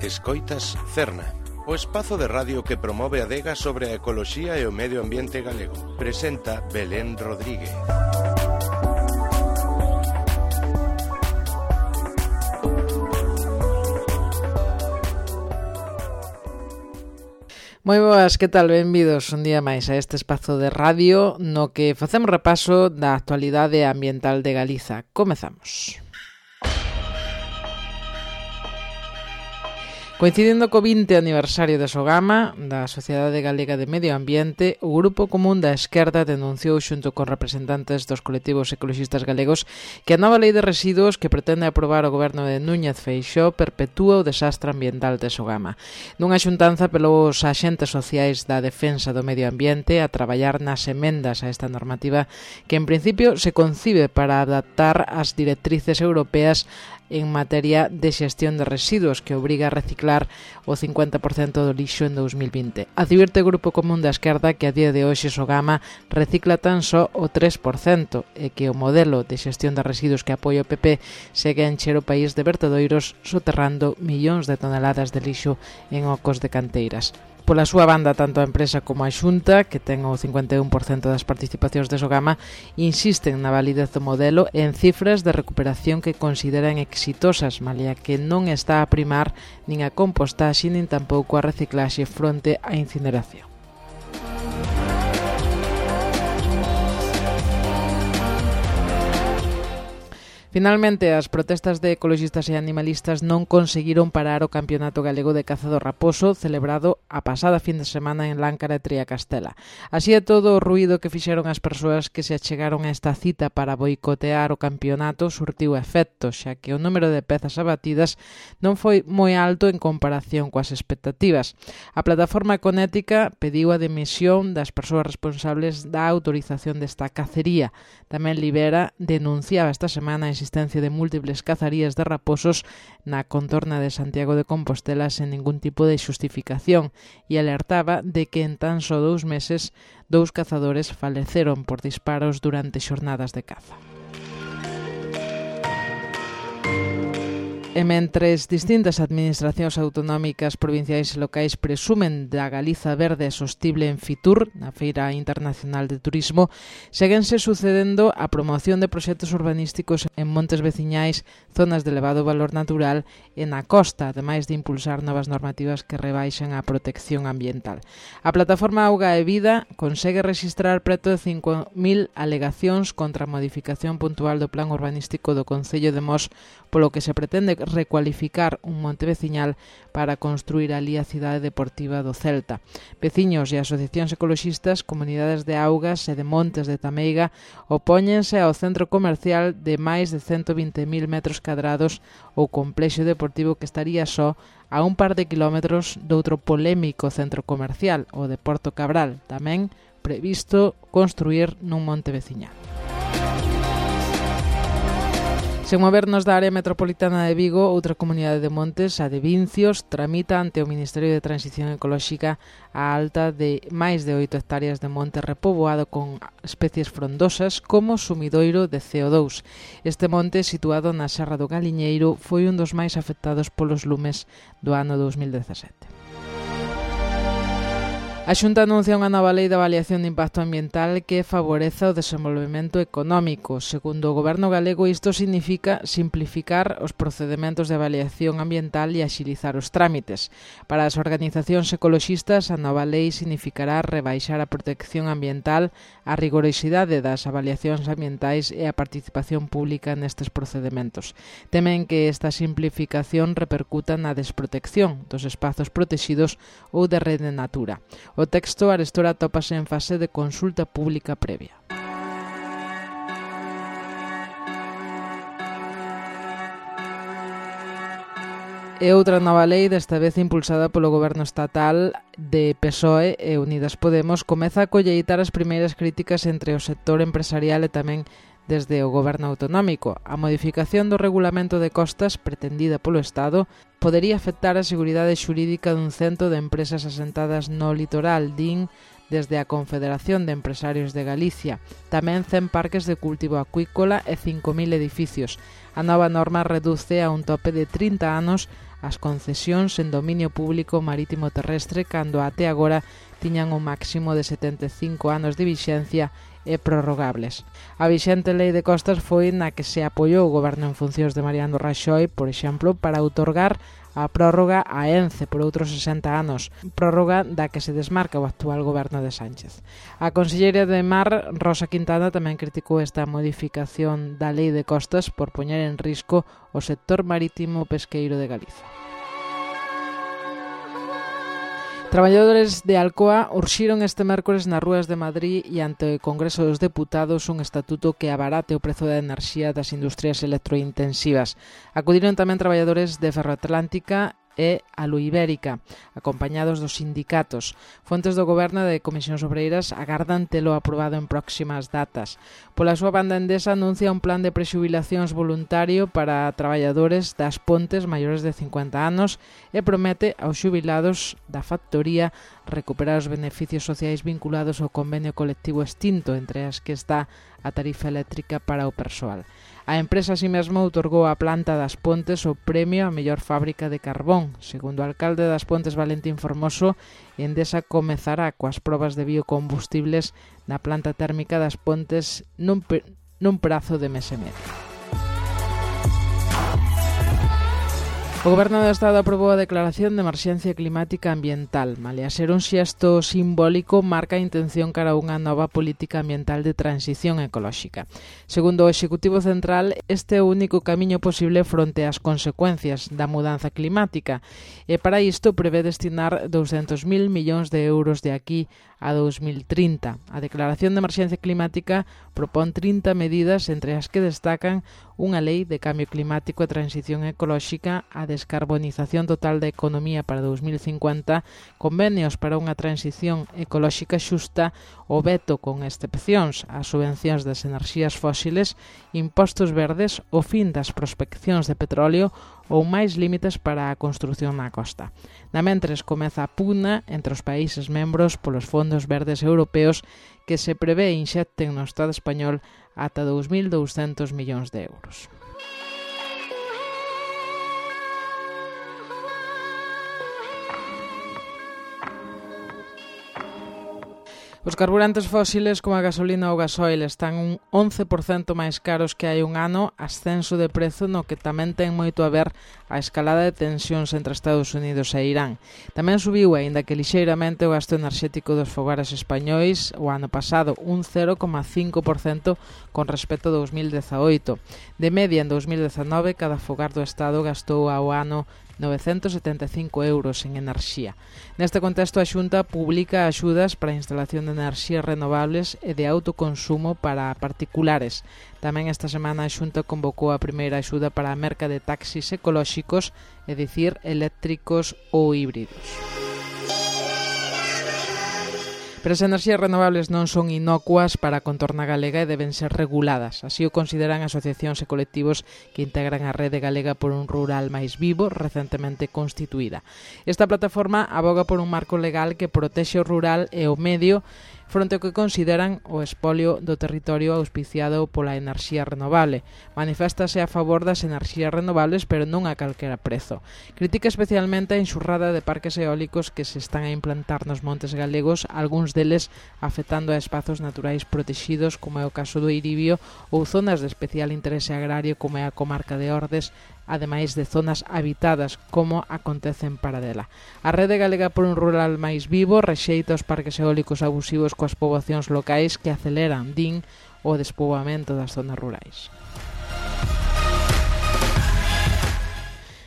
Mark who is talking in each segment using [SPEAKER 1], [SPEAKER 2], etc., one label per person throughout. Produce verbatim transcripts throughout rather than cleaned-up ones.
[SPEAKER 1] Escoitas Cerna, o espazo de radio que promove a adega sobre a ecoloxía e o medio ambiente galego. Presenta Belén Rodríguez.
[SPEAKER 2] Moi boas, que tal? Benvidos un día máis a este espazo de radio no que facemos repaso da actualidade ambiental de Galiza. Comezamos. Coincidindo co vinte aniversario de Sogama, da Sociedade Galega de Medio Ambiente, o Grupo Común da Esquerda denunciou xunto con representantes dos colectivos ecoloxistas galegos que a nova lei de residuos que pretende aprobar o goberno de Núñez Feixóo perpetúa o desastre ambiental de Sogama. Nunha xuntanza pelos axentes sociais da defensa do medio ambiente a traballar nas emendas a esta normativa que en principio se concibe para adaptar as directrices europeas en materia de xestión de residuos que obriga a reciclar o cincuenta por cento do lixo en dous mil vinte. Advirte o Grupo Común da Esquerda que a día de hoxe Sogama recicla tan só o tres por cento e que o modelo de xestión de residuos que apoia o P P segue a encher o país de vertedoiros soterrando millóns de toneladas de lixo en ocos de canteiras. Pola súa banda, tanto a empresa como a Xunta, que ten o cincuenta e un por cento das participacións de Sogama, insisten na validez do modelo en cifras de recuperación que consideran exitosas, malia que non está a primar nin a compostaxe nin tampouco a reciclaxe fronte á incineración. Finalmente, as protestas de ecoloxistas e animalistas non conseguiron parar o Campeonato Galego de Caza do Raposo celebrado a pasada fin de semana en Láncara e Triacastela. Así é todo o ruído que fixeron as persoas que se achegaron a esta cita para boicotear o campeonato surtiu efecto, xa que o número de pezas abatidas non foi moi alto en comparación coas expectativas. A plataforma Econética pediu a dimisión das persoas responsables da autorización desta cacería. Tamén Libera denunciaba esta semana a existencia de múltiples cazarías de raposos na contorna de Santiago de Compostela sen ningún tipo de xustificación e alertaba de que en tan só dous meses dous cazadores faleceron por disparos durante xornadas de caza. E mentres distintas administracións autonómicas, provinciais e locais presumen da Galiza verde e sostible en Fitur, na Feira Internacional de Turismo, séguense sucedendo a promoción de proxectos urbanísticos en montes veciñais, zonas de elevado valor natural e na costa, ademais de impulsar novas normativas que rebaixan a protección ambiental. A plataforma Auga e Vida consegue registrar preto de cinco mil alegacións contra a modificación puntual do plan urbanístico do Concello de Mos, polo que se pretende recualificar un monte veciñal para construir ali a cidade deportiva do Celta. Veciños e asociacións ecoloxistas, comunidades de augas e de montes de Tameiga opóñense ao centro comercial de máis de ciento vinte mil metros cadrados ou complexo deportivo que estaría só a un par de kilómetros doutro polémico centro comercial, o de Porto Cabral, tamén previsto construir nun monte veciñal. Sen movernos da área metropolitana de Vigo, outra comunidade de montes, a de Vincios, tramita ante o Ministerio de Transición Ecolóxica a alta de máis de oito hectáreas de monte repoboado con especies frondosas como sumidoiro de C O dous. Este monte, situado na Serra do Galiñeiro, foi un dos máis afectados polos lumes do ano dous mil dezasete. A Xunta anuncia unha nova lei de avaliación de impacto ambiental que favoreza o desenvolvemento económico. Segundo o Goberno galego, isto significa simplificar os procedementos de avaliación ambiental e axilizar os trámites. Para as organizacións ecoloxistas, a nova lei significará rebaixar a protección ambiental, a rigorosidade das avaliacións ambientais e a participación pública nestes procedementos. Temen que esta simplificación repercuta na desprotección dos espazos protexidos ou de rede natura. O texto arestora atópase en fase de consulta pública previa. E outra nova lei, desta vez impulsada polo goberno estatal de P S O E e Unidas Podemos, comeza a colleitar as primeiras críticas entre o sector empresarial e tamén desde o goberno autonómico. A modificación do regulamento de costas pretendida polo Estado podería afectar a seguridade xurídica dun cento de empresas asentadas no litoral, din desde a Confederación de Empresarios de Galicia, tamén cen parques de cultivo acuícola e cinco mil edificios. A nova norma reduce a un tope de trinta anos as concesións en dominio público marítimo terrestre cando até agora tiñan un máximo de setenta e cinco anos de vixencia e prorrogables. A vixente Lei de Costas foi na que se apoiou o goberno en funcións de Mariano Raxoi, por exemplo, para outorgar a prórroga a Ence por outros sesenta anos, prórroga da que se desmarca o actual goberno de Sánchez. A conselleira de Mar, Rosa Quintana, tamén criticou esta modificación da Lei de Costas por poñer en risco o sector marítimo pesqueiro de Galiza. Traballadores de Alcoa urxiron este mércores nas rúas de Madrid e ante o Congreso dos Deputados un estatuto que abarate o prezo da enerxía das industrias electrointensivas. Acudiron tamén traballadores de Ferroatlántica e Aluibérica, acompañados dos sindicatos. Fontes do Goberno de Comisións Obreiras agardan telo aprobado en próximas datas. Pola súa banda, Endesa anuncia un plan de prexubilacións voluntario para traballadores das Pontes maiores de cincuenta anos e promete aos xubilados da factoría recuperar os beneficios sociais vinculados ao convenio colectivo extinto, entre as que está a tarifa eléctrica para o persoal. A empresa así mesmo outorgou á planta das Pontes o premio a mellor fábrica de carbón. Segundo o alcalde das Pontes, Valentín Formoso, Endesa comezará coas probas de biocombustibles na planta térmica das Pontes nun, nun prazo de mes e medio. O Goberno do Estado aprobou a declaración de emerxencia climática ambiental. Malia ser un xesto simbólico, marca a intención cara a unha nova política ambiental de transición ecolóxica. Segundo o Executivo Central, este é o único camiño posible fronte ás consecuencias da mudanza climática e para isto prevé destinar douscentos mil millóns de euros de aquí a dos mil trinta. A declaración de emerxencia climática propón trinta medidas, entre as que destacan unha lei de cambio climático e transición ecolóxica, a descarbonización total da economía para dos mil cincuenta, convenios para unha transición ecolóxica xusta, o veto con excepcións ás subvencións das enerxías fósiles, impostos verdes, o fin das prospeccións de petróleo ou máis límites para a construción na costa. Na mentres comeza a pugna entre os países membros polos fondos verdes europeos que se prevé inxecten no Estado español ata dous mil douscentos millóns de euros. Os carburantes fósiles como a gasolina ou gasoil están un once por cento máis caros que hai un ano, ascenso de prezo no que tamén ten moito a ver a escalada de tensións entre Estados Unidos e Irán. Tamén subiu, aínda que lixeiramente, o gasto enerxético dos fogares españois o ano pasado, un cero coma cinco por cento con respecto a dos mil dezaoito. De media, en dos mil dezanove, cada fogar do Estado gastou ao ano novecentos setenta e cinco euros en enerxía. Neste contexto, a Xunta publica axudas para a instalación de enerxías renovables e de autoconsumo para particulares. Tamén esta semana a Xunta convocou a primeira axuda para a merca de taxis ecolóxicos, é dicir, eléctricos ou híbridos. Pero as enerxías renovables non son inocuas para a contorna galega e deben ser reguladas. Así o consideran asociacións e colectivos que integran a Rede Galega por un Rural máis Vivo, recentemente constituída. Esta plataforma aboga por un marco legal que protexe o rural e o medio fronte ao que consideran o espolio do territorio auspiciado pola enerxía renovable. Maniféstase a favor das enerxías renovables, pero non a calquera prezo. Critica especialmente a enxurrada de parques eólicos que se están a implantar nos montes galegos, algúns deles afectando a espazos naturais protexidos, como é o caso do Iribio, ou zonas de especial interese agrario, como é a comarca de Ordes, ademais de zonas habitadas, como acontece en Paradela. A Rede Galega por un Rural máis Vivo rexeita os parques eólicos abusivos coas poboacións locais que aceleran, din, o despoboamento das zonas rurais.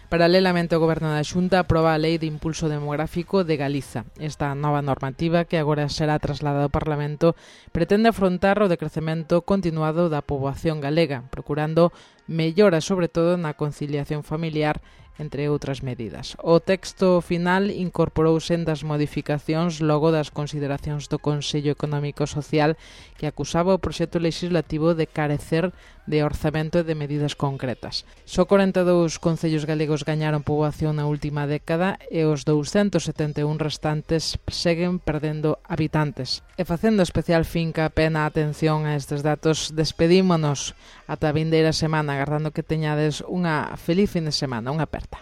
[SPEAKER 2] Paralelamente, o Goberno da Xunta aproba a Lei de Impulso Demográfico de Galiza. Esta nova normativa, que agora será trasladada ao Parlamento, pretende afrontar o decrecemento continuado da poboación galega, procurando melloras sobre todo na conciliación familiar, entre outras medidas. O texto final incorporou sendas modificacións logo das consideracións do Consello Económico e Social, que acusaba o proxecto legislativo de carecer de orzamento e de medidas concretas. Só corenta e dous concellos galegos gañaron poboación na última década e os douscentos setenta e un restantes seguen perdendo habitantes. E facendo especial finca pena atención a estes datos, despedímonos ata a vindeira semana, agardando que teñades unha feliz fin de semana. Unha aperta.